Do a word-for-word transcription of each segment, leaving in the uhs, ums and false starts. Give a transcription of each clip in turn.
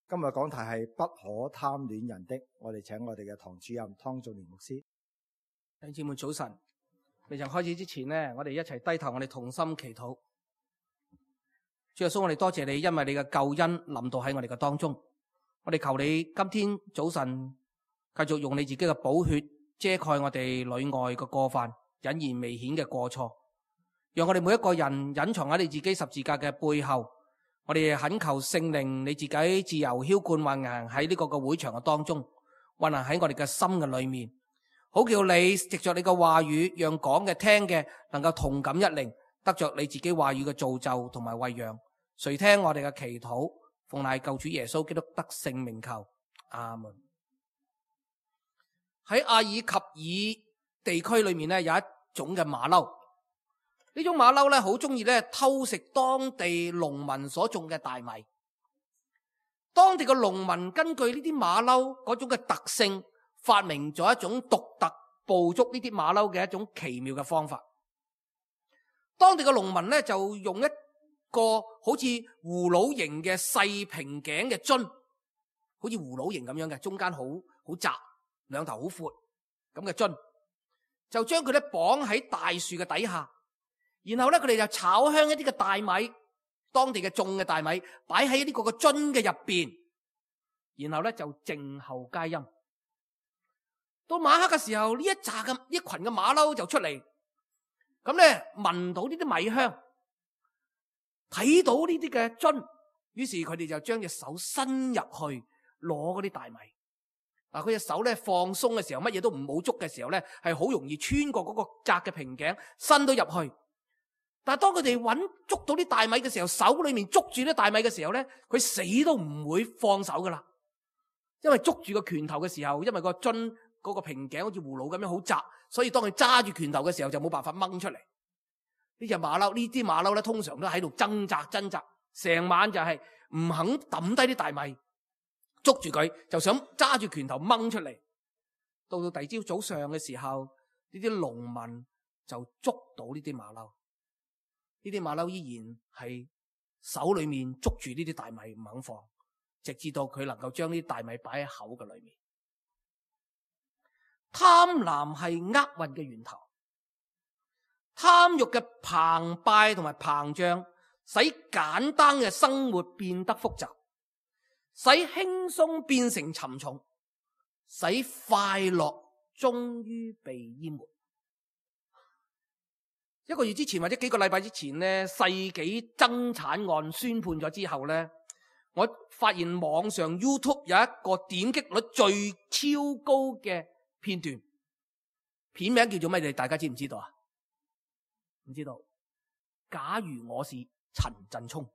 今日講題係不可貪戀人的，我哋請我哋嘅堂主任湯仲年牧師。弟兄姊妹早晨，未曾開始之前呢，我哋一齊低頭，我哋同心祈禱。主耶穌，我哋多謝你，因為你嘅救恩臨到喺我哋嘅當中。我哋求你今天早晨繼續用你自己嘅寶血遮蓋我哋裏外嘅過犯，隱而未顯嘅過錯，讓我哋每一個人隱藏喺你自己十字架嘅背後。我哋懇求聖靈你自己自由澆灌運行喺呢個嘅會場嘅當中，運行喺我哋嘅心嘅裏面，好叫你藉着你嘅話語，讓講嘅聽嘅能夠同感一靈，得着你自己話語嘅造就同埋餵養。垂聽我哋嘅祈禱，奉賴救主耶穌基督得聖名求，阿門。喺阿爾及爾地區裏面咧，有一種嘅馬騮。呢種馬騮咧，好中意咧偷食當地農民所種嘅大米。當地嘅農民根據呢啲馬騮嗰種嘅特性，發明咗一種獨特捕捉呢啲馬騮嘅一種奇妙嘅方法。當地嘅農民咧就用一個好似葫蘆形嘅細平頸嘅樽，好似葫蘆形咁樣嘅，中間好好窄，兩頭好闊咁嘅樽，就將佢咧綁喺大樹嘅底下。然後咧，佢哋就炒香一啲嘅大米，當地嘅種嘅大米，擺喺呢個個樽嘅入邊。然後咧就靜候佳音。到晚黑嘅時候，呢一紮嘅一群嘅馬騮就出嚟，咁咧聞到呢啲米香，睇到呢啲嘅樽，於是佢哋就將隻手伸入去攞嗰啲大米。嗱，佢隻手咧放鬆嘅時候，乜嘢都唔冇捉嘅時候咧，係好容易穿過嗰個窄嘅瓶頸，伸到入去。但係當佢哋揾捉到啲大米嘅時候，手裏面捉住啲大米嘅時候咧，佢死都唔會放手噶啦，因為捉住個拳頭嘅時候，因為個樽嗰個瓶頸好似葫蘆咁樣好窄，所以當佢揸住拳頭嘅時候就冇辦法掹出嚟。呢隻馬騮，呢啲馬騮咧通常都喺度掙扎掙扎，成晚就係唔肯抌低啲大米，捉住佢就想揸住拳頭掹出嚟。到到第二朝早上嘅時候，呢啲農民就捉到呢啲馬騮。呢啲馬騮依然係手裏面捉住呢啲大米唔肯放，直至到佢能夠將呢啲大米擺喺口嘅裏面。貪婪係厄運嘅源頭，貪欲嘅澎湃同埋膨脹，使簡單嘅生活變得複雜，使輕鬆變成沉重，使快樂終於被淹沒。一個月之前或者幾個禮拜之前呢，世紀爭產案宣判咗之後呢，我發現網上 YouTube 有一個點擊率最超高嘅片段，片名叫做咩？你大家知唔知道啊？唔知道。假如我是陳振聰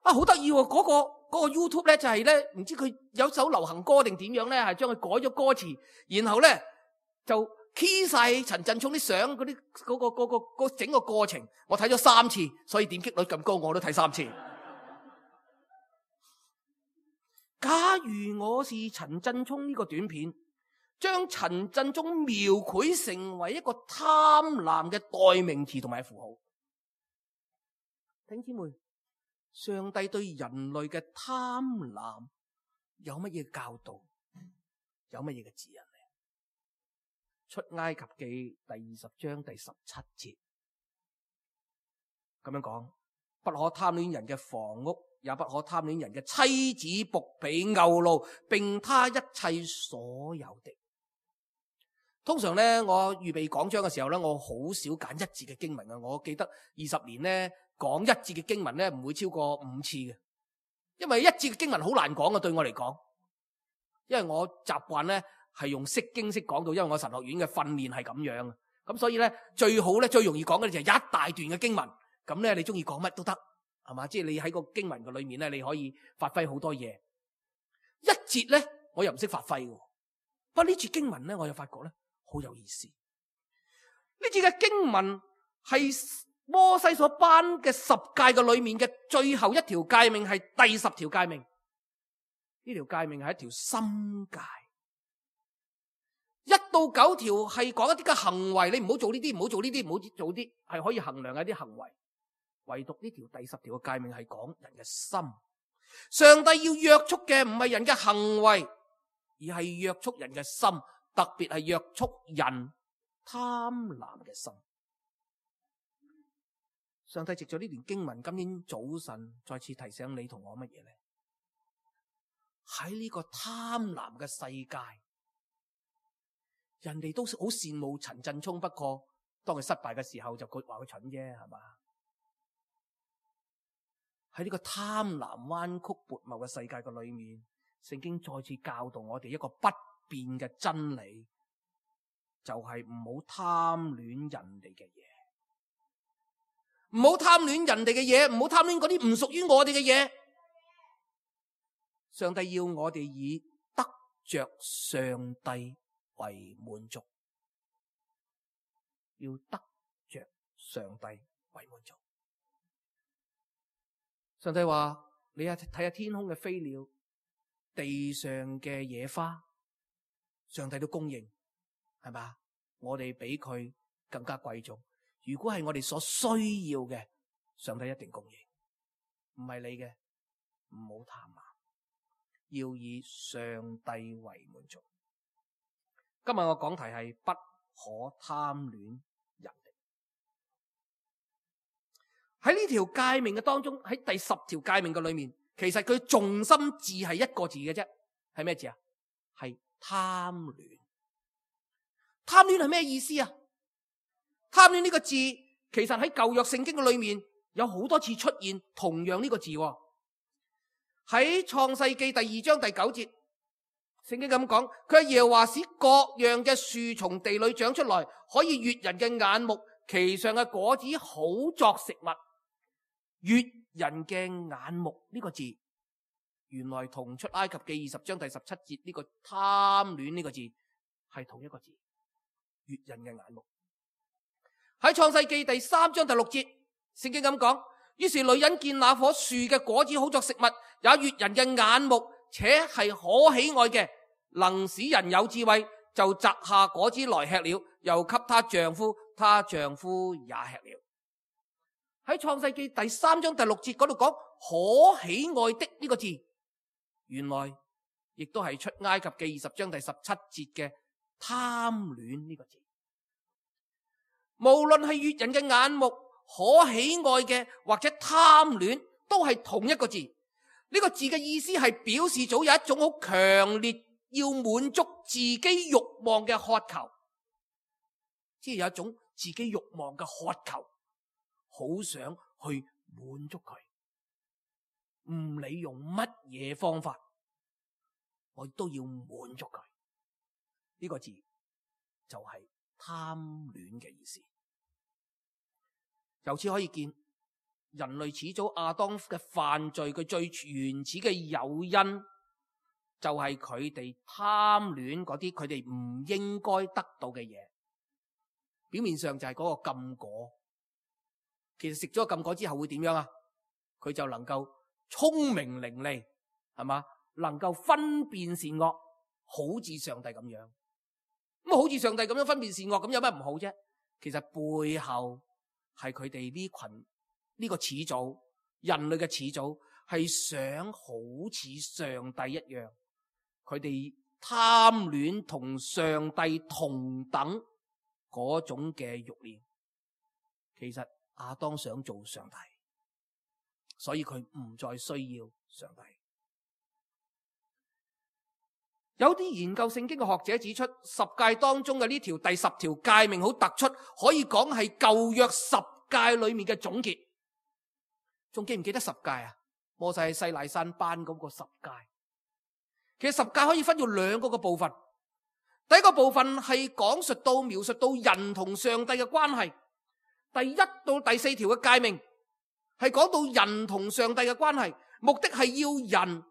啊，好得意喎！嗰個嗰個 YouTube 咧就係咧，唔知佢有首流行歌定點樣咧，係將佢改咗歌詞，然後咧就key 晒陳振聰啲相嗰啲嗰個嗰個嗰個整個過程，我睇咗三次，所以點擊率咁高，我都睇三次。假如我是陳振聰呢個短片，將陳振聰描繪成為一個貪婪嘅代名詞同埋符號。弟兄姊妹，上帝對人類嘅貪婪有乜嘢教導？有乜嘢嘅指引？出埃及記第二十章第十七節咁樣講：不可貪戀人嘅房屋，也不可貪戀人嘅妻子、僕婢、牛驢，並他一切所有的。通常咧，我預備講章嘅時候咧，我好少揀一節嘅經文啊。我記得二十年咧講一節嘅經文咧，唔會超過五次嘅，因為一節嘅經文好難講嘅，對我嚟講，因為我習慣咧。係用釋經式講到，因為我神學院嘅訓練係咁樣啊，咁所以咧最好咧最容易講嘅就係一大段嘅經文，咁咧你中意講乜都得，係嘛？即係你喺個經文嘅裏面咧，你可以發揮好多嘢。一節咧我又唔識發揮嘅，不過呢節經文咧我又發覺咧好有意思。呢節嘅經文係摩西所頒嘅十誡嘅裏面嘅最後一條誡命，係第十條誡命。呢條誡命係一條心誡。一到九條係講一啲嘅行為，你唔好做呢啲，唔好做呢啲，唔好做啲，係可以衡量一啲行為。唯獨呢條第十條嘅誡命係講人嘅心，上帝要約束嘅唔係人嘅行為，而係約束人嘅心，特別係約束人貪婪嘅心。上帝藉咗呢段經文，今天早晨再次提醒你同我乜嘢呢？喺呢個貪婪嘅世界，人哋都好羨慕陳振聰，不過當佢失敗嘅時候就佢話佢蠢啫，係嘛？喺呢個貪婪彎曲悖謬嘅世界嘅裏面，聖經再次教導我哋一個不變嘅真理，就係唔好貪戀人哋嘅嘢，唔好貪戀人哋嘅嘢，唔好貪戀嗰啲唔屬於我哋嘅嘢。上帝要我哋以得着上帝為滿足，要得着上帝為滿足。上帝話：你啊睇下天空嘅飛鳥，地上嘅野花，上帝都供應，係嘛？我哋比佢更加貴重。如果係我哋所需要嘅，上帝一定供應。唔係你嘅，唔好貪婪，要以上帝為滿足。今日我講題係不可貪戀人哋。喺呢條誡命嘅當中，喺第十條誡命嘅裏面，其實佢重心字係一個字嘅啫，係咩字啊？係貪戀。貪戀係咩意思啊？貪戀呢個字，其實喺舊約聖經嘅裏面有好多次出現同樣呢個字。喺創世記第二章第九節，聖經咁講，佢係耶和華使各樣嘅樹從地裏長出來，可以悅人嘅眼目，其上嘅果子好作食物。悅人嘅眼目呢個字，原來同出埃及記二十章第十七節呢個貪戀呢個字係同一個字，悅人嘅眼目。喺創世記第三章第六節，聖經咁講，於是女人見那棵樹嘅果子好作食物，也悅人嘅眼目，且係可喜愛嘅，能使人有智慧，就摘下果子來吃了，又給她丈夫，她丈夫也吃了。喺創世記第三章第六節嗰度講可喜愛的呢個字，原來亦都係出埃及記二十章第十七節嘅貪戀呢個字。無論係悅人嘅眼目、可喜愛嘅或者貪戀，都係同一個字。呢個字嘅意思係表示咗有一種好強烈要滿足自己慾望嘅渴求，即係有一種自己慾望嘅渴求，好想去滿足佢，唔理用乜嘢方法，我都要滿足佢。呢個字就係貪戀嘅意思。由此可以見，人類始祖亞當嘅犯罪，佢最原始嘅誘因就係佢哋貪戀嗰啲佢哋唔應該得到嘅嘢。表面上就係嗰個禁果，其實食咗禁果之後會點樣啊？佢就能夠聰明伶俐，係嘛？能夠分辨善惡，好似上帝咁樣。咁好似上帝咁樣分辨善惡，咁有咩唔好啫？其實背後係佢哋呢群呢個始祖，人類嘅始祖係想好似上帝一樣，佢哋貪戀同上帝同等嗰種嘅慾念。其實亞當想做上帝，所以佢唔再需要上帝。有啲研究聖經嘅學者指出，十誡當中嘅呢條第十條誡命好突出，可以講係舊約十誡裏面嘅總結。仲記唔記得十誡啊？摩西喺西奈山頒嗰個十誡。其實十誡可以分做兩個嘅部分。第一個部分係講述到描述到人同上帝嘅關係。第一到第四條嘅誡命係講到人同上帝嘅關係，目的係要人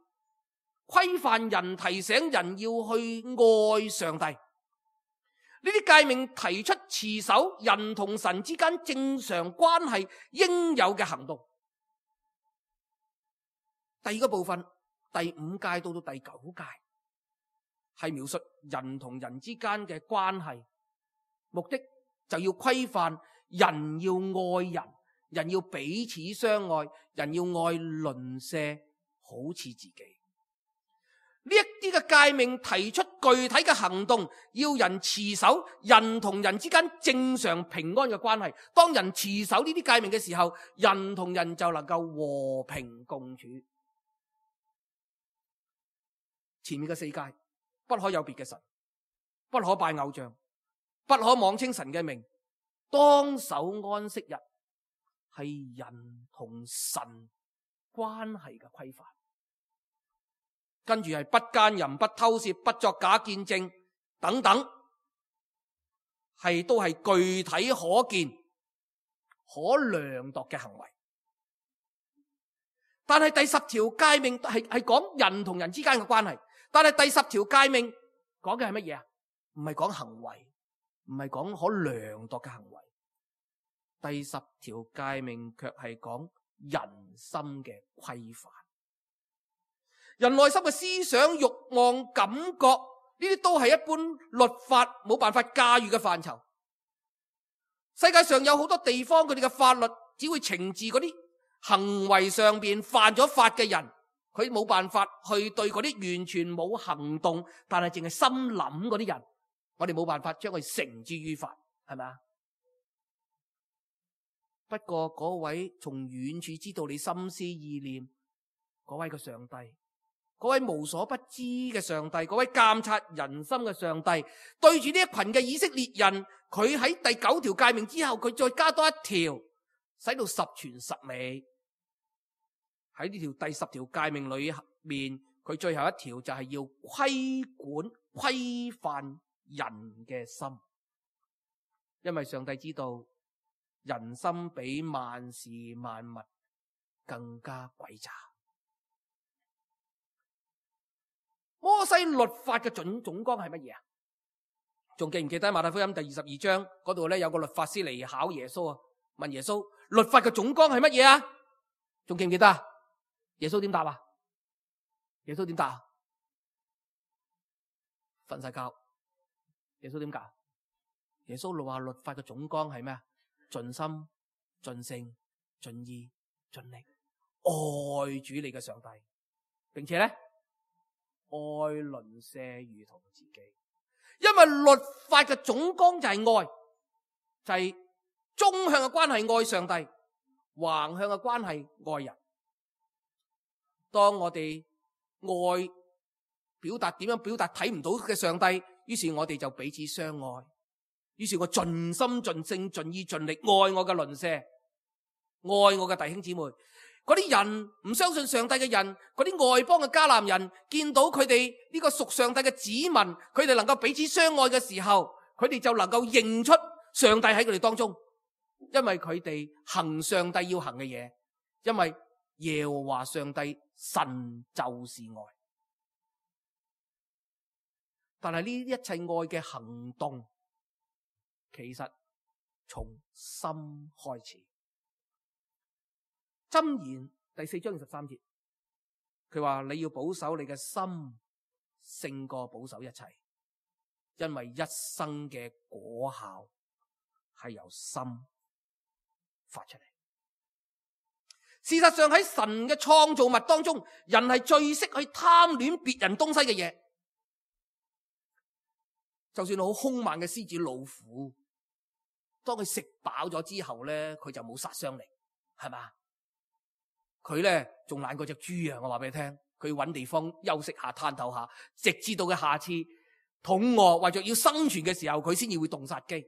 規範人，提醒人要去愛上帝。呢啲誡命提出持守人同神之間正常關係應有嘅行動。第二個部分，第五誡到到第九誡係描述人同人之間嘅關係，目的就要規範人要愛人，人要彼此相愛，人要愛鄰舍，好好似自己。呢一啲嘅誡命提出具體嘅行動，要人持守人同人之間正常平安嘅關係。當人持守呢啲誡命嘅時候，人同人就能夠和平共處。前面嘅四誡，不可有別嘅神，不可拜偶像，不可妄稱神嘅名，當守安息日，係人同神關係嘅規範。跟住係不姦淫、不偷竊、不作假見證等等，係都係具體可見、可量度嘅行為。但係第十條誡命係係講人同人之間嘅關係，但係第十條誡命講嘅係乜嘢啊？唔係講行為，唔係講可量度嘅行為。第十條誡命卻係講人心嘅規範。人內心嘅思想、慾望、感覺，呢啲都係一般律法冇辦法駕馭嘅範疇。世界上有好多地方，佢哋嘅法律只會懲治嗰啲行為上邊犯咗法嘅人，佢冇辦法去對嗰啲完全冇行動但係淨係心諗嗰啲人，我哋冇辦法將佢繩之於法，係咪啊？不過嗰位從遠處知道你心思意念嗰位嘅上帝，嗰位無所不知嘅上帝，嗰位監察人心嘅上帝，對住呢一群嘅以色列人，佢喺第九條誡命之後，佢再加多一條，使到十全十美。喺呢條第十條誡命裏面，佢最後一條就係要規管、規範人嘅心，因為上帝知道人心比萬事萬物更加詭詐。摩西律法嘅總總綱係乜嘢啊？仲記唔記得馬太福音第二十二章嗰度咧，有個律法師嚟考耶穌啊，問耶穌律法嘅總綱係乜嘢啊？仲記唔記得啊？耶穌點答啊？耶穌點答啊？瞓晒覺。耶穌點答？耶穌話律法嘅總綱係咩啊？盡心、盡性、盡意、盡力愛主你嘅上帝，並且咧，愛鄰舍如同自己。因為律法嘅總綱就係愛，就係、是、縱向嘅關係愛上帝，橫向嘅關係愛人。當我哋愛表達點樣表達睇唔到嘅上帝，於是我哋就彼此相愛。於是我盡心盡性盡意盡力愛我嘅鄰舍，愛我嘅弟兄姊妹。嗰啲人唔相信上帝嘅人，嗰啲外邦嘅迦南人，見到佢哋呢個屬上帝嘅子民，佢哋能夠彼此相愛嘅時候，佢哋就能夠認出上帝喺佢哋當中，因為佢哋行上帝要行嘅嘢，因為耶和華上帝神就是愛。但係呢一切愛嘅行動，其實從心開始。箴言第四章二十三節，佢話你要保守你嘅心勝過保守一切，因為一生嘅果效係由心發出嚟。事實上喺神嘅創造物當中，人係最識去貪戀別人東西嘅嘢。就算好兇猛嘅獅子老虎，當佢食飽咗之後咧，佢就冇殺傷力，係嘛？佢咧仲懶過隻豬啊！我話俾你聽，佢搵地方休息下、攤透下，直至到佢下次肚餓或者要生存嘅時候，佢先至會動殺機。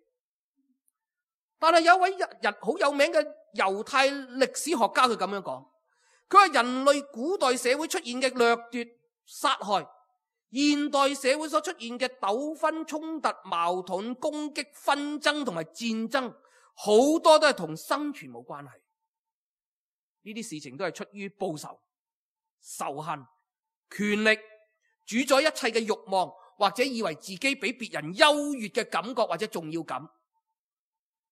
但係有位人好有名嘅猶太歷史學家，佢咁樣講，佢話人類古代社會出現嘅掠奪、殺害，現代社會所出現嘅糾紛、衝突、矛盾、攻擊、紛爭同埋戰爭，好多都係同生存冇關係。呢啲事情都係出於報仇、仇恨、權力、主宰一切嘅慾望，或者以為自己比別人優越嘅感覺或者重要感，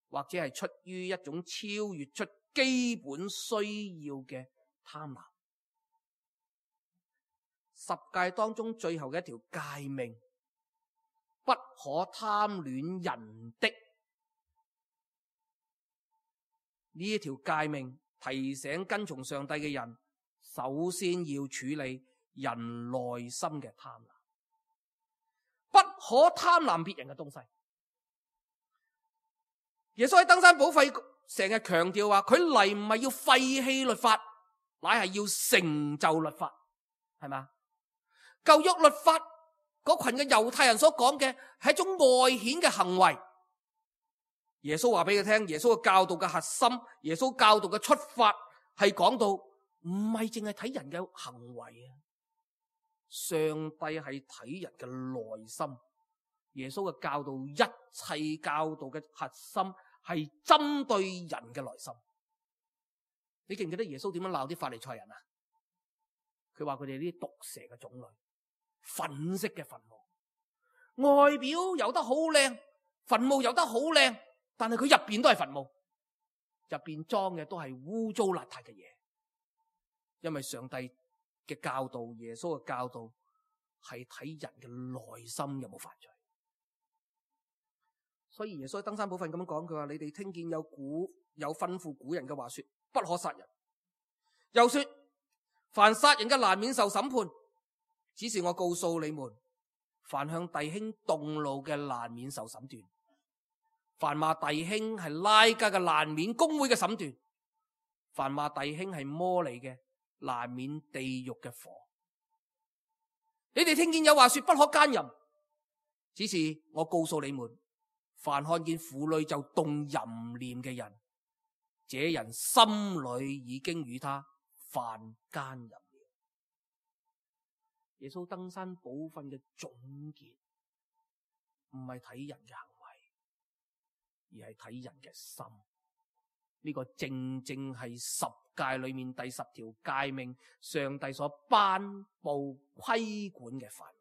或者係出於一種超越出基本需要嘅貪婪。十誡當中最後嘅一條誡命，不可貪戀人的，呢一條誡命提醒跟從上帝嘅人，首先要處理人內心嘅貪婪，不可貪婪別人嘅東西。耶穌喺登山寶訓成日強調話，佢嚟唔係要廢棄律法，乃係要成就律法，係嘛？舊約律法嗰群嘅猶太人所講嘅係一種外顯嘅行為。耶穌話俾佢聽，耶穌嘅教導嘅核心，耶穌教導嘅出發係講到唔係淨係睇人嘅行為啊，上帝係睇人嘅內心。耶穌嘅教導，一切教導嘅核心係針對人嘅內心。你記唔記得耶穌點樣鬧啲法利賽人啊？佢話佢哋啲毒蛇嘅種類，粉色嘅墳墓，外表游得好靚，墳墓游得好靚，但係佢入邊都係墳墓，入邊裝嘅都係污糟邋遢嘅嘢。因為上帝嘅教導，耶穌嘅教導係睇人嘅內心有冇犯罪。所以耶穌喺登山寶訓咁樣講，佢話你哋聽見有古有吩咐古人嘅話說，不可殺人，又說凡殺人嘅難免受審判。只是我告訴你們，凡向弟兄動怒嘅難免受審斷，凡罵弟兄係拉加嘅難免公會嘅審斷，凡罵弟兄係魔利嘅難免地獄嘅火。你哋聽見有話說不可奸淫，只是我告訴你們，凡看見婦女就動淫念嘅人，這人心裏已經與他犯奸淫了。耶穌登山寶訓嘅總結唔係睇人嘅行為，而係睇人嘅心。呢、這個正正係十誡裏面第十條誡命，上帝所頒布規管嘅範圍。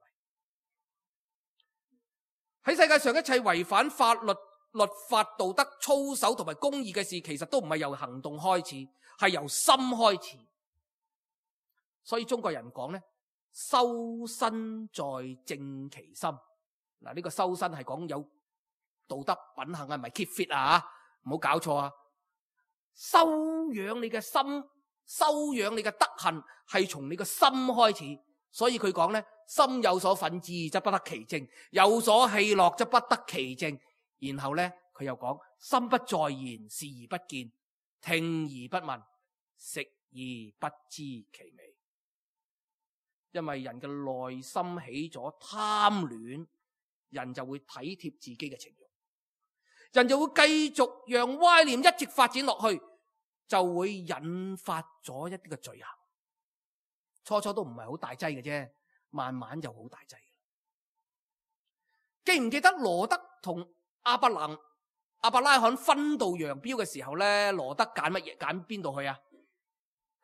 喺世界上一切違反法律、律法、道德、操守同埋公義嘅事，其實都唔係由行動開始，係由心開始。所以中國人講咧，修身在正其心。嗱，呢個修身係講有道德品行啊，唔係 keep fit 啊，唔好搞錯啊。修養你嘅心，修養你嘅德行，係從你嘅心開始。所以佢講咧，心有所憤志，則不得其正；有所喜樂，則不得其正。然後咧，佢又講，心不在焉，視而不見，聽而不聞，食而不知其味。因為人嘅內心起咗貪戀，人就會體貼自己嘅情慾，人就會繼續讓歪念一直發展落去，就會引發咗一啲嘅罪行。初初都唔係好大劑嘅啫，慢慢就好大劑。記唔記得羅德同亞伯蘭、亞伯拉罕分道揚鑣嘅時候咧，羅德揀乜嘢？揀邊度去啊？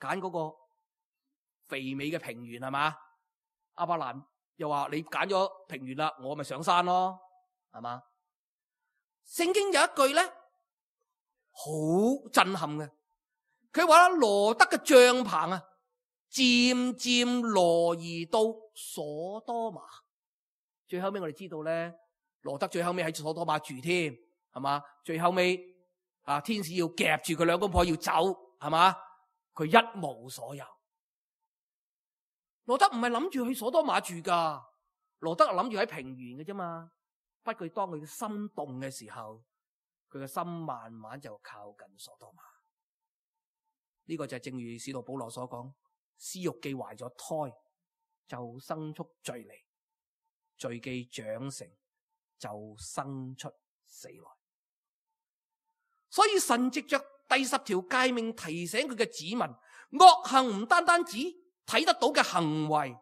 揀嗰個肥美嘅平原係嘛？亞伯蘭又話你揀咗平原啦，我咪上山咯，係嘛？聖經有一句咧好震撼嘅，佢話羅德嘅帳篷啊，漸漸挪移到所多瑪。最後尾我哋知道咧，羅德最後尾喺所多瑪住添，係嘛？最後尾啊，天使要夾住佢兩公婆要走，係嘛？佢一無所有。羅德唔係諗住去所多瑪住噶，羅德係諗住喺平原嘅啫嘛。不過當佢嘅心動嘅時候，佢嘅心慢慢就靠近所多瑪。呢、這個就係正如使徒保羅所講，私欲既懷咗胎，就生出罪嚟；罪既長成，就生出死來。所以神藉着第十條誡命提醒佢嘅子民，惡行唔單單止睇得到嘅行為，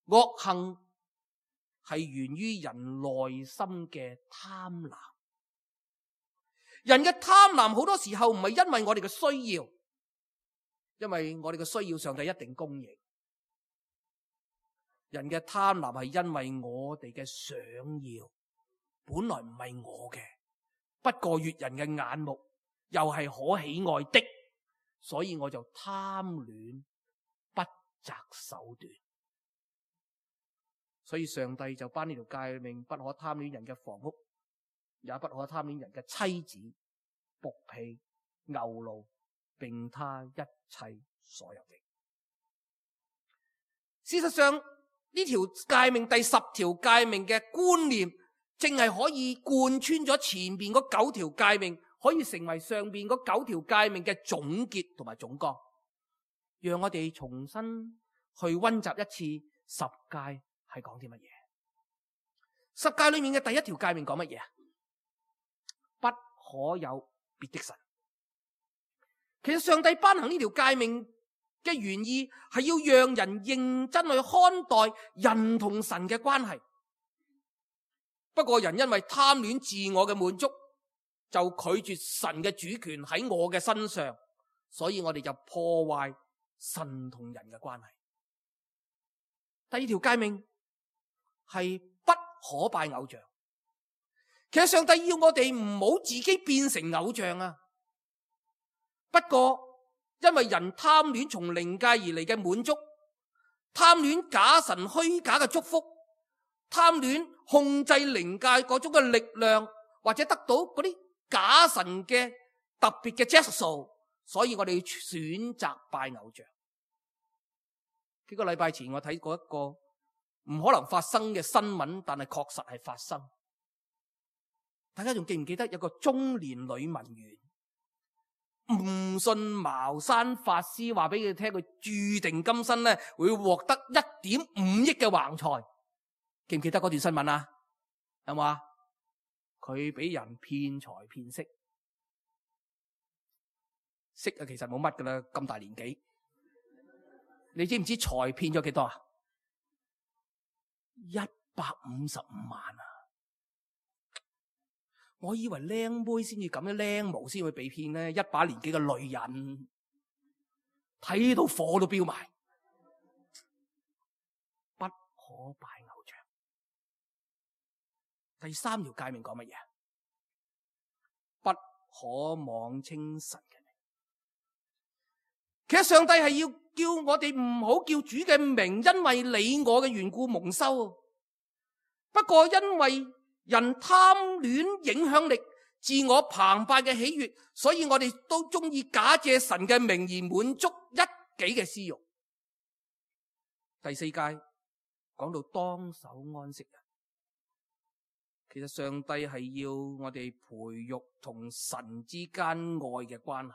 惡行係源於人內心嘅貪婪。人嘅貪婪好多時候唔係因為我哋嘅需要，因為我哋嘅需要上帝一定供應。人嘅貪婪係因為我哋嘅想要，本來唔係我嘅，不過悅人嘅眼目，又係可喜愛的，所以我就貪戀，不擇手段。所以上帝就頒呢條誡命，不可貪戀人嘅房屋，也不可貪戀人嘅妻子、僕婢、牛驢，並他一切所有的。事實上呢條誡命第十條誡命嘅觀念，正係可以貫穿咗前邊嗰九條誡命，可以成為上邊嗰九條誡命嘅總結同埋總綱。讓我哋重新去溫習一次十誡係講啲乜嘢。十誡裏面嘅第一條誡命講乜嘢啊？不可有別的神。其實上帝頒行呢條誡命嘅原意係要讓人認真去看待人同神嘅關係。不過人因為貪戀自我嘅滿足，就拒絕神嘅主權喺我嘅身上，所以我哋就破壞神同人嘅關係。第二條誡命係不可拜偶像。其實上帝要我哋唔好自己變成偶像啊。不過因為人貪戀從靈界而嚟嘅滿足，貪戀假神虛假嘅祝福，貪戀控制靈界嗰種嘅力量，或者得到嗰啲假神嘅特別嘅質素，所以我哋選擇拜偶像。幾個禮拜前我睇過一個唔可能發生嘅新聞，但係確實係發生。大家仲記唔記得有個中年女文員唔信茅山法師話俾佢聽，佢注定今生咧會獲得一點五億嘅橫財？記唔記得嗰段新聞啊？有冇啊？佢俾人騙財騙色，色啊其實冇乜噶啦，咁大年紀，你知唔知財騙咗幾多啊？一百五十五萬啊！我以為靚妹先至咁樣，靚模先會被騙咧，一把年紀嘅女人睇到火都飆埋。不可拜偶像。第三條誡命講乜嘢？不可妄稱神嘅名。其實上帝係要叫我哋唔好叫主嘅名，因為你我嘅緣故蒙羞。不過因為人貪戀影響力、自我澎湃嘅喜悅，所以我哋都中意假借神嘅名而滿足一己嘅私欲。第四誡講到當守安息日，其實上帝係要我哋培育同神之間愛嘅關係。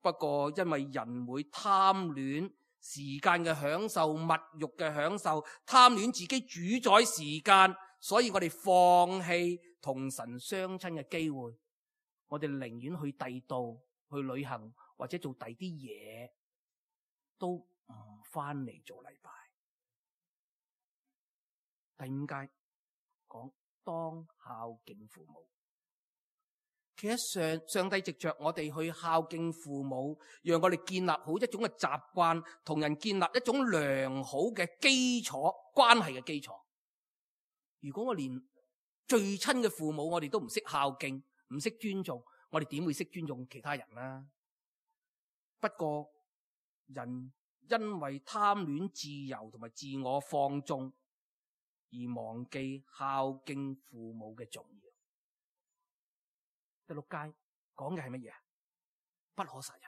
不過因為人會貪戀時間嘅享受、物欲嘅享受，貪戀自己主宰時間，所以我哋放棄同神相親嘅機會，我哋寧願去第度去旅行或者做第啲嘢，都唔翻嚟做禮拜。第五誡講當孝敬父母。其實上上帝藉着我哋去孝敬父母，讓我哋建立好一種嘅習慣，同人建立一種良好嘅基礎關係嘅基礎。如果我連最親嘅父母我哋都唔識孝敬，唔識尊重，我哋點會識尊重其他人呢？不過人因為貪戀自由同埋自我放縱，而忘記孝敬父母嘅重要。第六誡講嘅係乜嘢？不可殺人。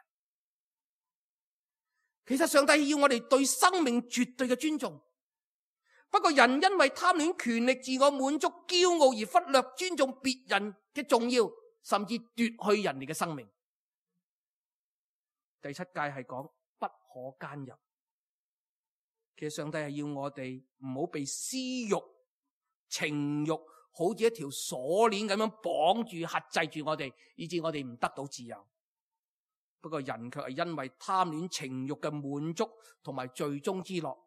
其實上帝要我哋對生命絕對嘅尊重，不過人因為貪戀權力、自我滿足、驕傲而忽略尊重別人嘅重要，甚至奪去人哋嘅生命。第七誡係講不可奸淫。其實上帝係要我哋唔好被私欲、情欲好似一條鎖鏈咁樣綁住、轄制住我哋，以致我哋唔得到自由。不過人卻係因為貪戀情欲嘅滿足同埋罪中之樂，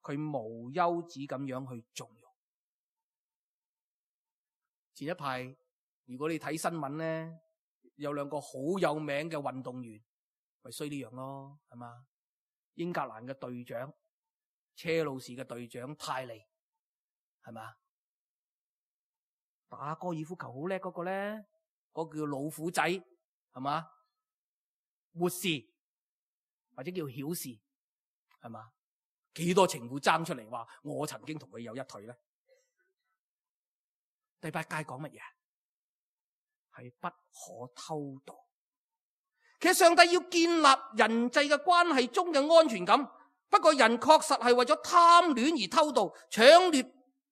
佢無休止咁樣去縱慾。前一排如果你睇新聞咧，有兩個好有名嘅運動員，咪衰呢樣咯，係嘛？英格蘭嘅隊長車路士嘅隊長泰利，係嘛？打高爾夫球好叻嗰個咧，嗰、嗰個叫老虎仔，係嘛？活士或者叫曉士，係嘛？幾多情婦爭出嚟話我曾經同佢有一腿咧？第八誡講乜嘢？係不可偷盜。其實上帝要建立人際嘅關係中嘅安全感，不過人確實係為咗貪戀而偷盜、搶掠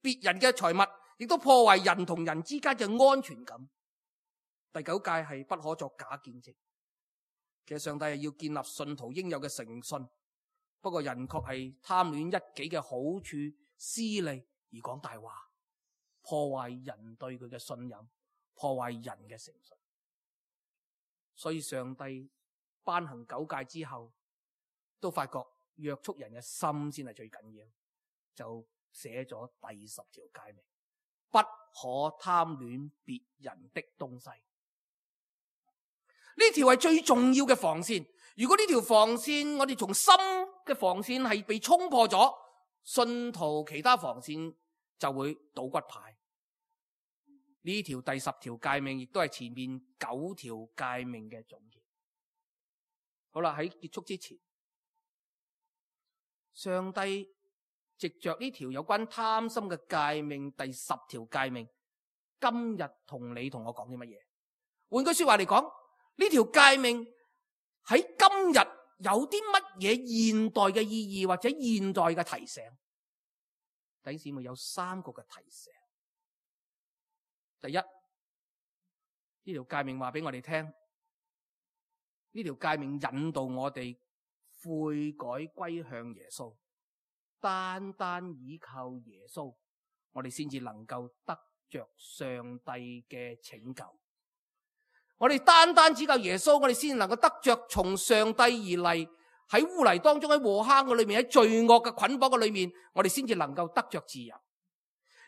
別人嘅財物，亦都破壞人同人之間嘅安全感。第九誡係不可作假見證。其實上帝係要建立信徒應有嘅誠信，不過人確係貪戀一己嘅好處、私利而講大話，破壞人對佢嘅信任，破壞人嘅誠信。所以上帝頒行九誡之後，都發覺約束人嘅心先係最緊要，就寫咗第十條誡命：不可貪戀別人的東西。呢條係最重要嘅防線。如果呢條防線我哋從心嘅防線係被衝破咗，信徒其他防線就會倒骨牌。呢條第十條誡命亦都係前面九條誡命嘅總結。好啦，喺結束之前，上帝藉着呢條有關貪心嘅誡命，第十條誡命，今日同你同我講啲乜嘢？換句說話嚟講，呢條誡命喺今日有啲乜嘢現代嘅意義或者現代嘅提醒？弟兄姊妹，有三個嘅提醒。第一，呢條誡命話俾我哋聽，呢條誡命引導我哋悔改歸向耶穌，單單依靠耶穌，我哋先至能夠得着上帝嘅拯救。我哋單單只靠耶穌，我哋先能夠得着從上帝而嚟，喺污泥當中，喺禍坑嘅裏面，喺罪惡嘅捆綁嘅裏面，我哋先至能夠得着自由。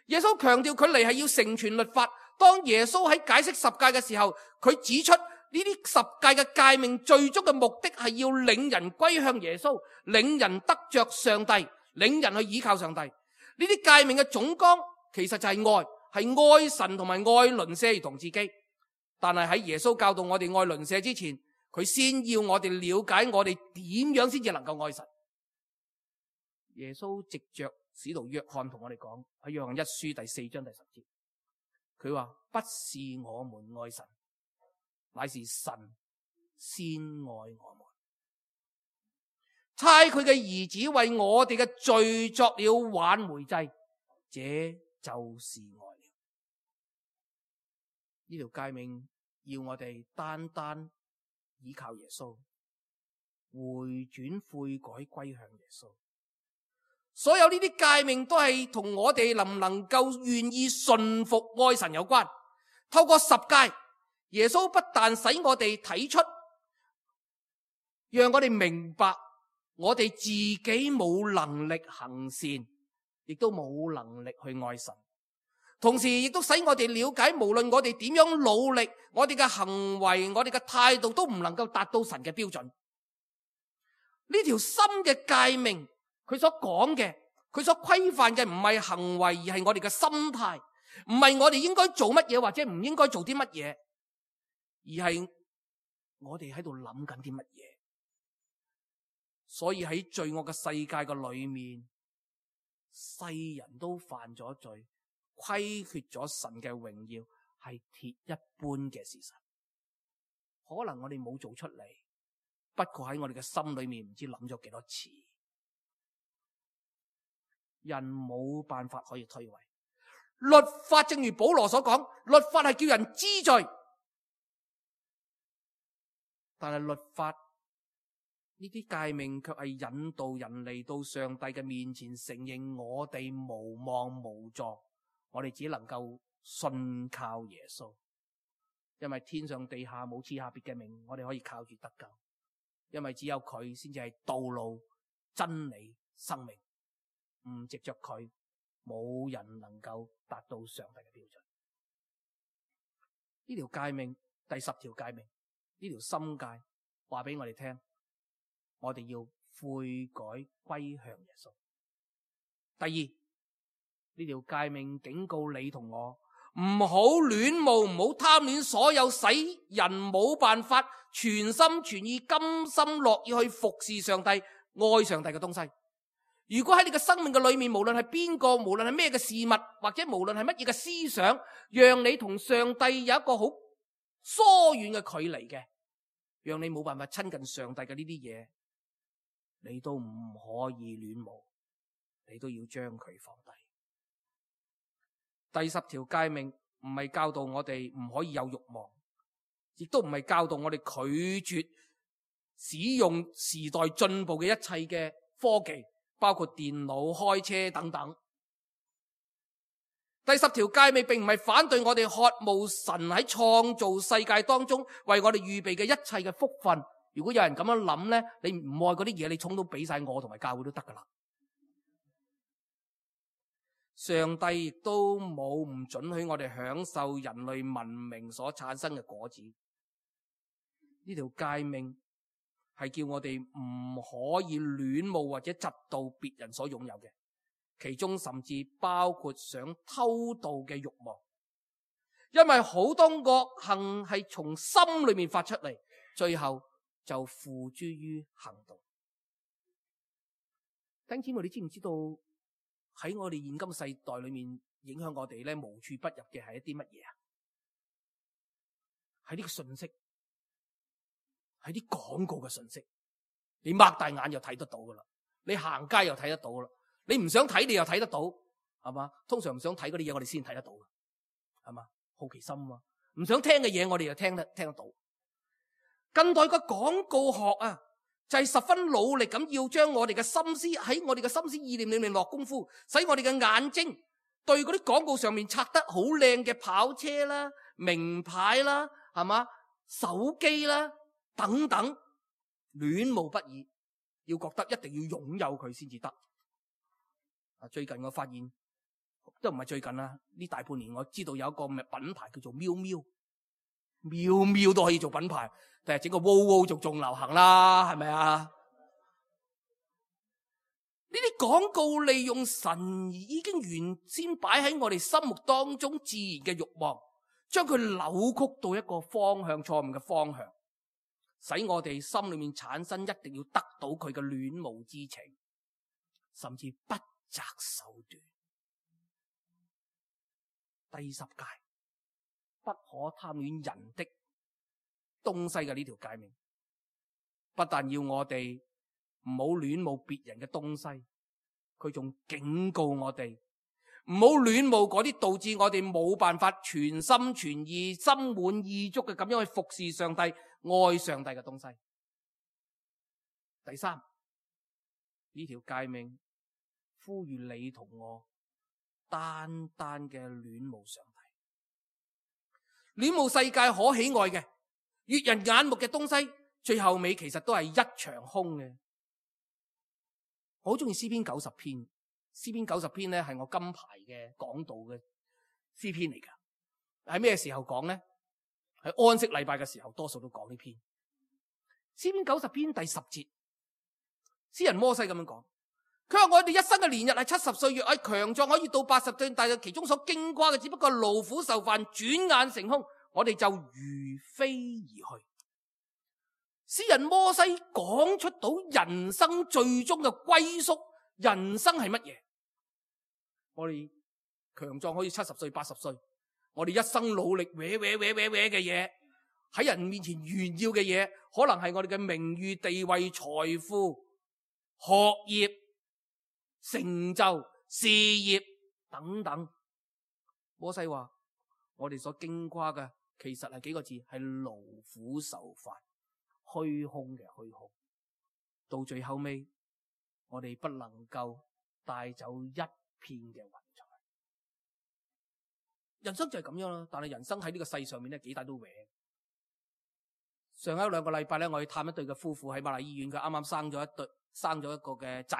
耶穌強調佢嚟係要成全律法。當耶穌喺解釋十誡嘅時候，佢指出呢啲十誡嘅誡命最終嘅目的係要領人歸向耶穌，領人得着上帝，領人去依靠上帝。呢啲誡命嘅總綱其實就係愛，係愛神同埋愛鄰舍如同自己。但係喺耶穌教導我哋愛鄰舍之前，佢先要我哋了解我哋點樣先至能夠愛神。耶穌藉着使徒約翰同我哋講，喺約翰一書第四章第十節，佢話不是我們愛神，乃是神先愛我們，差佢嘅兒子為我哋嘅罪作了挽回祭，這就是愛了。呢條誡命要我哋單單依靠耶穌，回轉悔改歸向耶穌。所有呢啲誡命都係同我哋能唔能夠願意順服愛神有關。透過十誡，耶穌不但使我哋睇出，讓我哋明白我哋自己冇能力行善，亦都冇能力去愛神。同時亦都使我哋了解，無論我哋點樣努力，我哋嘅行為，我哋嘅態度都唔能夠達到神嘅標準。呢條心嘅誡命，佢所講嘅，佢所規範嘅唔係行為，而係我哋嘅心態，唔係我哋應該做乜嘢或者唔應該做啲乜嘢，而係我哋喺度諗緊啲乜嘢。所以喺罪惡嘅世界嘅裏面，世人都犯咗罪，虧缺咗神嘅榮耀，係鐵一般嘅事實。可能我哋冇做出嚟，不過喺我哋嘅心裏面唔知諗咗幾多次。人冇辦法可以推諉律法，正如保羅所講，律法係叫人知罪，但係律法呢啲誡命卻係引導人嚟到上帝嘅面前，承認我哋無望無助，我哋只能夠信靠耶穌，因為天上地下冇賜下別嘅名，我哋可以靠住得救，因為只有佢先至係道路、真理、生命。唔藉着佢，冇人能夠達到上帝嘅標準。呢條誡命，第十條誡命，呢條心誡話俾我哋聽，我哋要悔改歸向耶穌。第二，呢條誡命警告你同我，唔好戀慕，唔好貪戀所有使人冇辦法全心全意、甘心樂意去服侍上帝、愛上帝嘅東西。如果喺你嘅生命嘅裏面，無論係邊個，無論係咩嘅事物，或者無論係乜嘢嘅思想，讓你同上帝有一個好疏遠嘅距離嘅，讓你冇辦法親近上帝嘅呢啲嘢，你都唔可以戀慕，你都要將佢放低。第十條誡命唔係教導我哋唔可以有慾望，亦都唔係教導我哋拒絕使用時代進步嘅一切嘅科技，包括電腦、開車等等。第十條誡命並唔係反對我哋渴慕神喺創造世界當中為我哋預備嘅一切嘅福分。如果有人咁樣諗呢，你唔愛嗰啲嘢，你統統俾晒我同埋教會都得噶啦。上帝亦都冇唔准許我哋享受人類文明所產生嘅果子。呢條誡命係叫我哋唔可以戀慕或者嫉妒別人所擁有嘅，其中甚至包括想偷盜嘅慾望，因為好多惡行係從心裏面發出嚟，最後就付諸於行動。弟兄姊妹，你知唔知道喺我哋現今世代裏面影響我哋咧無處不入嘅係一啲乜嘢啊？係呢個信息，係啲廣告嘅信息，你擘大眼就睇得到噶啦，你行街又睇得到啦，你唔想睇你又睇得到，係嘛？通常唔想睇嗰啲嘢我哋先睇得到，係嘛？好奇心啊，唔想聽嘅嘢我哋又聽得聽得到。近代嘅廣告學啊，就係十分努力咁要將我哋嘅心思喺我哋嘅心思意念裏面落功夫，使我哋嘅眼睛對嗰啲廣告上面拆得好靚嘅跑車啦、名牌啦，係嘛？手機啦等等，戀慕不已，要覺得一定要擁有佢先至得。啊，最近我發現都唔係最近啦，呢大半年我知道有一個品牌叫做喵喵，喵喵都可以做品牌。但係整個wow wow就仲流行啦，係咪啊？呢啲廣告利用神已經原先擺喺我哋心目當中自然嘅慾望，將佢扭曲到一個方向，錯誤嘅方向，使我哋心裏面產生一定要得到佢嘅戀慕之情，甚至不擇手段。第十誡，不可貪戀人的東西嘅呢條誡命，不但要我哋唔好戀慕別人嘅東西，佢仲警告我哋唔好戀慕嗰啲導致我哋冇辦法全心全意、心滿意足嘅咁樣去服侍上帝、愛上帝嘅東西。第三，呢條誡命呼籲你同我單單嘅戀慕上帝，戀慕世界可喜愛嘅悅人眼目嘅東西，最後尾其實都係一場空嘅。我好中意詩篇九十篇，詩篇九十篇咧係我金牌嘅講道嘅詩篇嚟噶。喺咩時候講咧？喺安息禮拜嘅時候，多數都講呢篇。詩篇九十篇第十節，詩人摩西咁樣講，佢話我哋一生嘅年日係七十歲，若係強壯可以到八十歲，但係其中所經過嘅只不過勞苦受煩，轉眼成空。我哋就如飛而去。詩人摩西講出到人生最終嘅歸宿，人生係乜嘢？我哋強壯可以七十歲、八十歲，我哋一生努力搲搲搲搲搲嘅嘢，喺人面前炫耀嘅嘢，可能係我哋嘅名譽、地位、財富、學業、成就、事業等等。摩西話：我哋所經過嘅，其實係幾個字，係勞苦受煩，虛空嘅虛空。到最後尾，我哋不能夠帶走一片嘅雲彩。人生就係咁樣啦，但係人生喺呢個世上面咧，幾大都搲。上一兩個禮拜咧，我去探一對嘅夫婦喺瑪麗醫院，佢啱啱生咗一對，生咗一個嘅仔。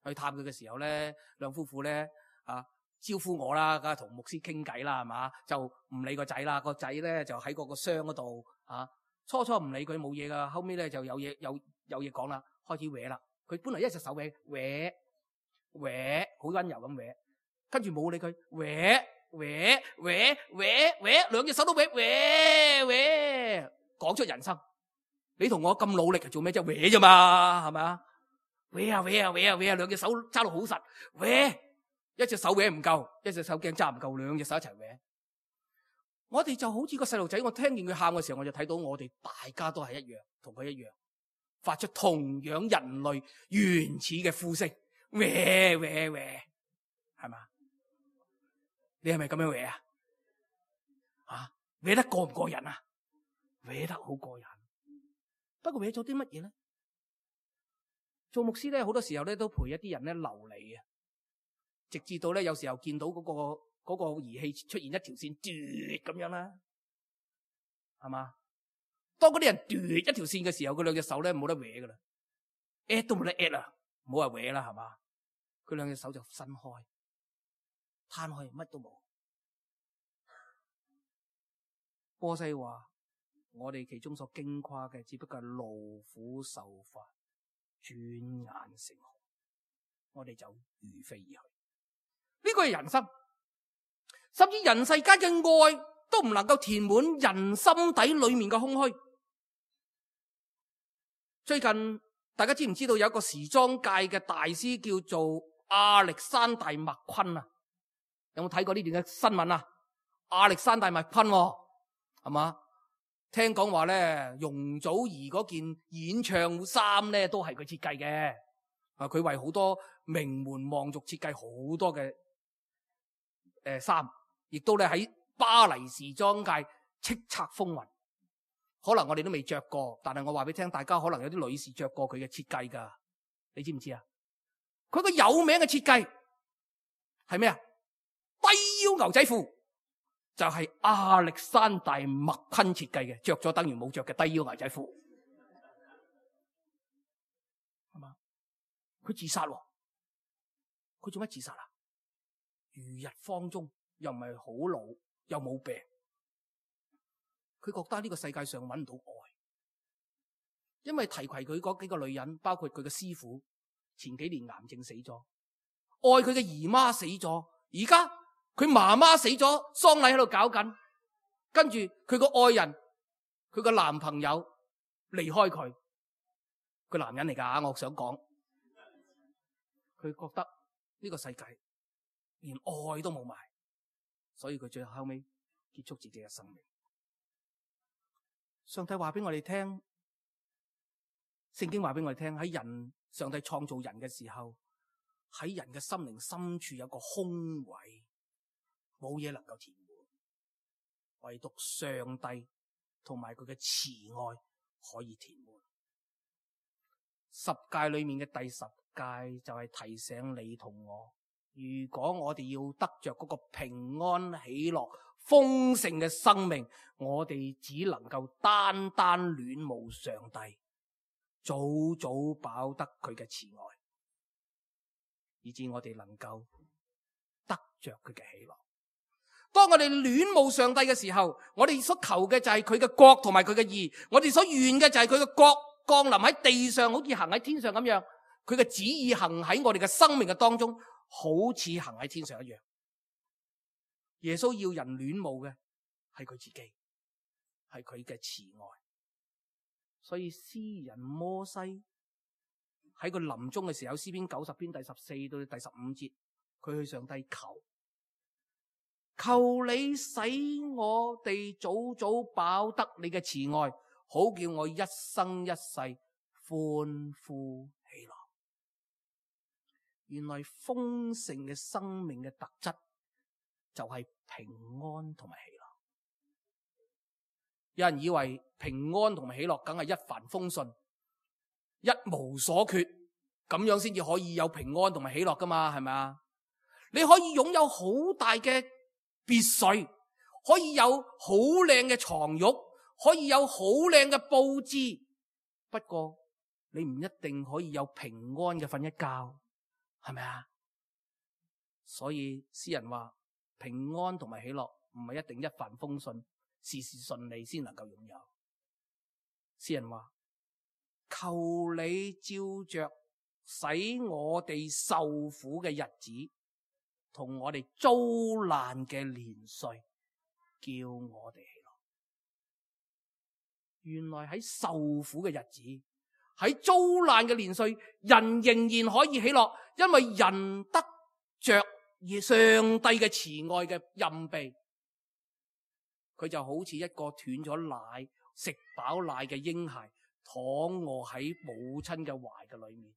去探佢嘅時候咧，兩夫婦咧啊。招呼我啦，梗係同牧師傾偈啦，係嘛？就唔理個仔啦，個仔咧就喺嗰個箱嗰度啊。初初唔理佢冇嘢噶，後尾咧就有嘢有有嘢講啦，開始搲啦。佢本來一隻手搲搲搲，好溫柔咁搲，跟住冇理佢搲搲搲搲搲，兩隻手都搲搲搲，講出人生。你同我咁努力係做咩啫？搲啫嘛，係咪啊？搲啊搲啊搲啊搲啊，兩隻手揸到好實搲。一隻手搲唔夠，一隻手鏡揸唔夠，兩隻手一齊搲。我哋就好似個細路仔，我聽見佢喊嘅時候，我就睇到我哋大家都係一樣，同佢一樣。發出同樣人類原始嘅呼聲，喂喂喂，係嘛？你係咪咁樣喂啊？啊，喂得過唔過癮啊？喂得好過癮。不過喂咗啲乜嘢咧？做牧師咧，好多時候咧都陪一啲人咧流離啊，直至到咧有時候見到嗰個嗰個儀器出現一條線嘟咁樣啦，係嘛？當嗰啲人嘟一條線嘅時候，佢兩隻手咧冇得搲噶啦 ，at 都冇得 at 啦，唔好話搲啦，係嘛？佢兩隻手就伸開，攤開，乜都冇。波西話：我哋其中所矜誇嘅，只不過係勞苦受罰，轉眼成紅，我哋就如飛而去。呢個係人心，甚至人世間嘅愛都唔能夠填滿人心底裏面嘅空虛。最近大家知唔知道有一個時裝界嘅大師叫做亞歷山大麥昆啊？有冇睇過呢段嘅新聞啊？亞歷山大麥昆係嘛？聽講話咧，容祖兒嗰件演唱衫咧都係佢設計嘅。啊，佢為好多名門望族設計好多嘅誒衫，亦都咧喺巴黎時裝界叱咤風雲。可能我哋都未着過，但係我話俾你聽，大家可能有啲女士着過佢嘅設計噶，你知唔知啊？佢個有名嘅設計係咩啊？低腰牛仔褲就係亞歷山大麥昆設計嘅，着咗等於冇着嘅低腰牛仔褲，係嘛？佢自殺喎，佢做乜自殺啊？如日方中，又唔係好老，又冇病。佢覺得呢個世界上揾唔到愛，因為提攜佢嗰幾個女人，包括佢嘅師傅，前幾年癌症死咗，愛佢嘅姨媽死咗，而家佢媽媽死咗，喪禮喺度搞緊，跟住佢個愛人，佢個男朋友離開佢，佢男人嚟噶，我想講，佢覺得呢個世界連愛都冇埋，所以佢最後尾結束自己嘅生命。上帝話俾我哋聽，聖經話俾我哋聽，喺人上帝創造人嘅時候，喺人嘅心靈深處有個空位，冇嘢能夠填滿，唯獨上帝同埋佢嘅慈愛可以填滿。十誡裏面嘅第十誡就係提醒你同我，如果我哋要得着嗰個平安喜樂豐盛嘅生命，我哋只能夠單單戀慕上帝，早早飽得佢嘅慈愛，以致我哋能夠得着佢嘅喜樂。當我哋戀慕上帝嘅時候，我哋所求嘅就係佢嘅國同埋佢嘅義，我哋所願嘅就係佢嘅國降臨喺地上，好似行喺天上咁樣，佢嘅旨意行喺我哋嘅生命嘅當中，好似行喺天上一樣。耶穌要人戀慕嘅係佢自己，係佢嘅慈愛。所以詩人摩西喺佢臨終嘅時候，詩篇九十篇第十四到第十五節，佢去上帝求，求你使我哋早早飽得你嘅慈愛，好叫我一生一世歡呼喜樂。原來豐盛嘅生命嘅特質就係平安同埋喜樂。有人以為平安同埋喜樂梗係一帆風順、一無所缺，咁樣先至可以有平安同埋喜樂噶嘛？係咪啊？你可以擁有好大嘅別墅，可以有好靚嘅床褥，可以有好靚嘅佈置，不過你唔一定可以有平安嘅瞓一覺，係咪啊？所以詩人話平安同埋喜樂唔係一定一帆風順、事事順利先能夠擁有。詩人話求你照着使我哋受苦嘅日子同我哋遭難嘅年歲，叫我哋喜樂。原來喺受苦嘅日子，喺遭難嘅年歲，人仍然可以喜樂，因為人得着上帝嘅慈愛嘅蔭庇。佢就好似一個斷咗奶、食飽奶嘅嬰孩，躺臥喺母親嘅懷嘅裏面，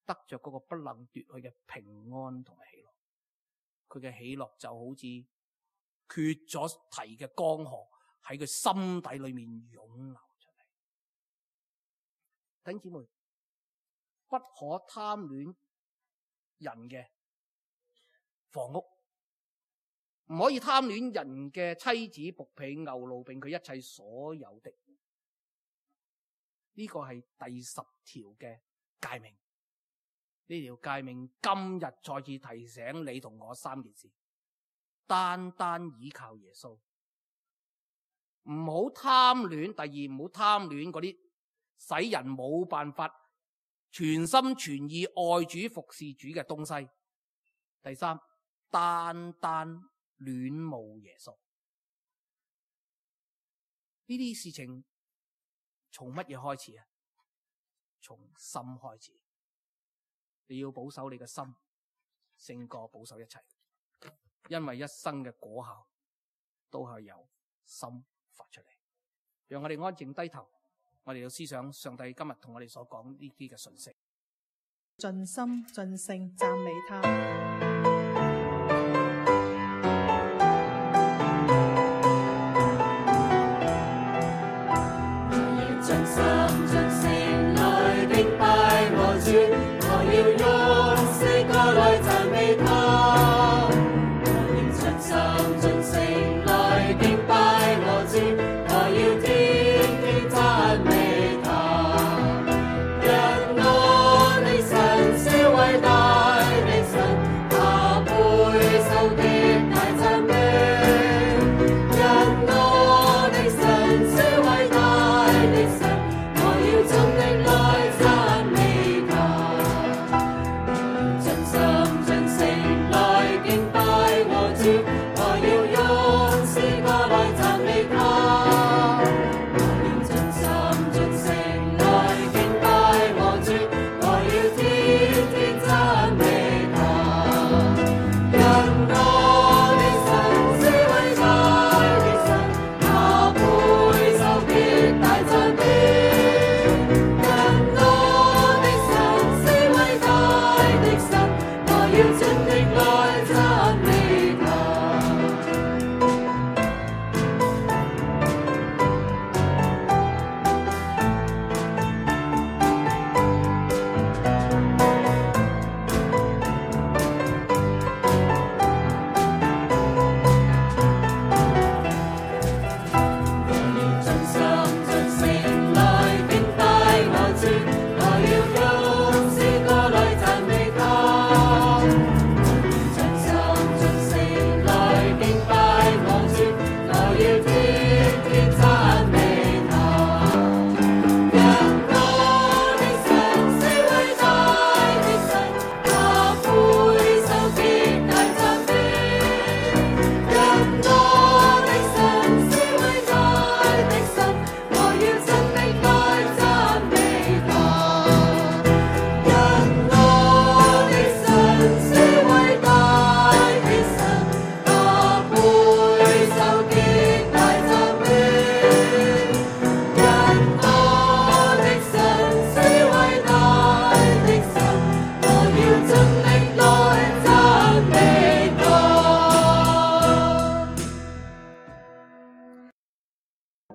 得着嗰個不能奪去嘅平安同埋喜樂。佢嘅喜樂就好似缺咗堤嘅江河喺佢心底裏面湧流出嚟。弟兄姊妹，不可貪戀人嘅房屋，唔可以貪戀人嘅妻子、僕婢、牛驢，並佢一切所有的。呢個係第十條嘅誡命。呢條誡命今日再次提醒你同我三件事：單單倚靠耶穌，唔好貪戀；第二，唔好貪戀嗰啲使人冇辦法全心全意愛主服侍主嘅東西；第三，單單戀慕耶穌。呢啲事情從乜嘢開始啊？從心開始。你要保守你嘅心，勝過保守一切，因為一生嘅果效都係由心發出嚟。讓我哋安靜低頭，我哋要思想上帝今日同我哋所講呢啲嘅信息。盡心盡性讚美他。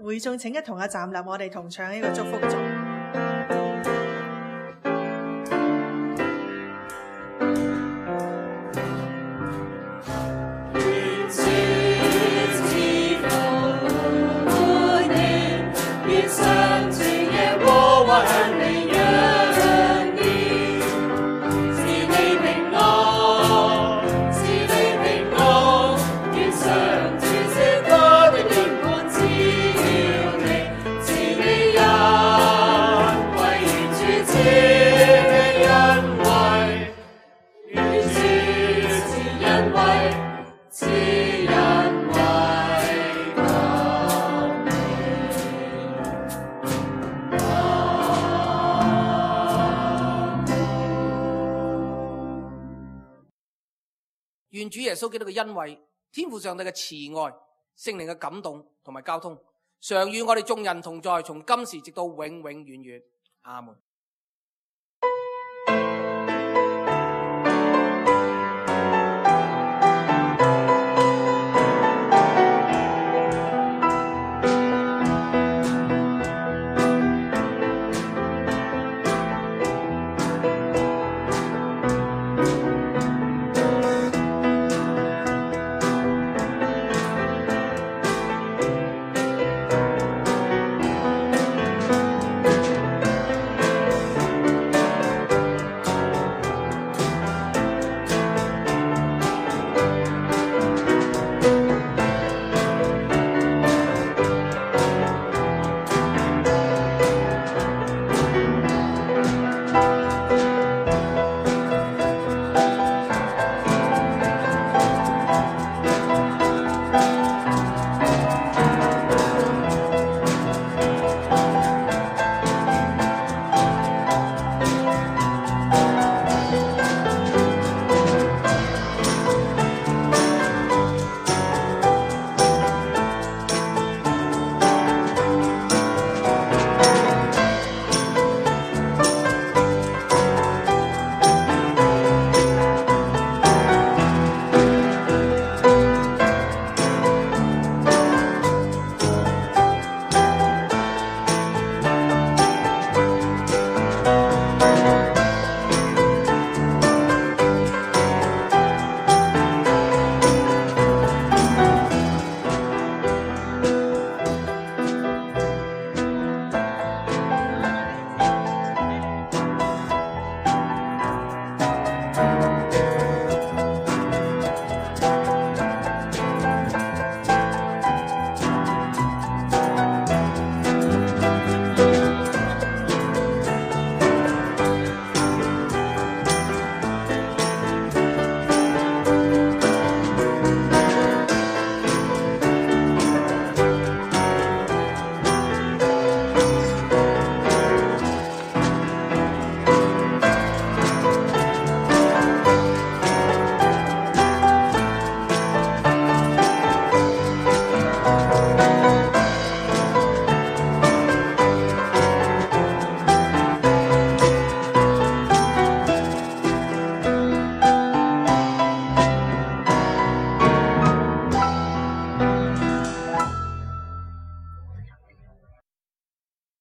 會眾請一同啊站立，我哋同唱呢個祝福頌。願主耶穌基督嘅恩惠、天父上帝嘅慈愛、聖靈嘅感動同埋交通，常與我哋眾人同在，從今時直到永永遠遠。阿門。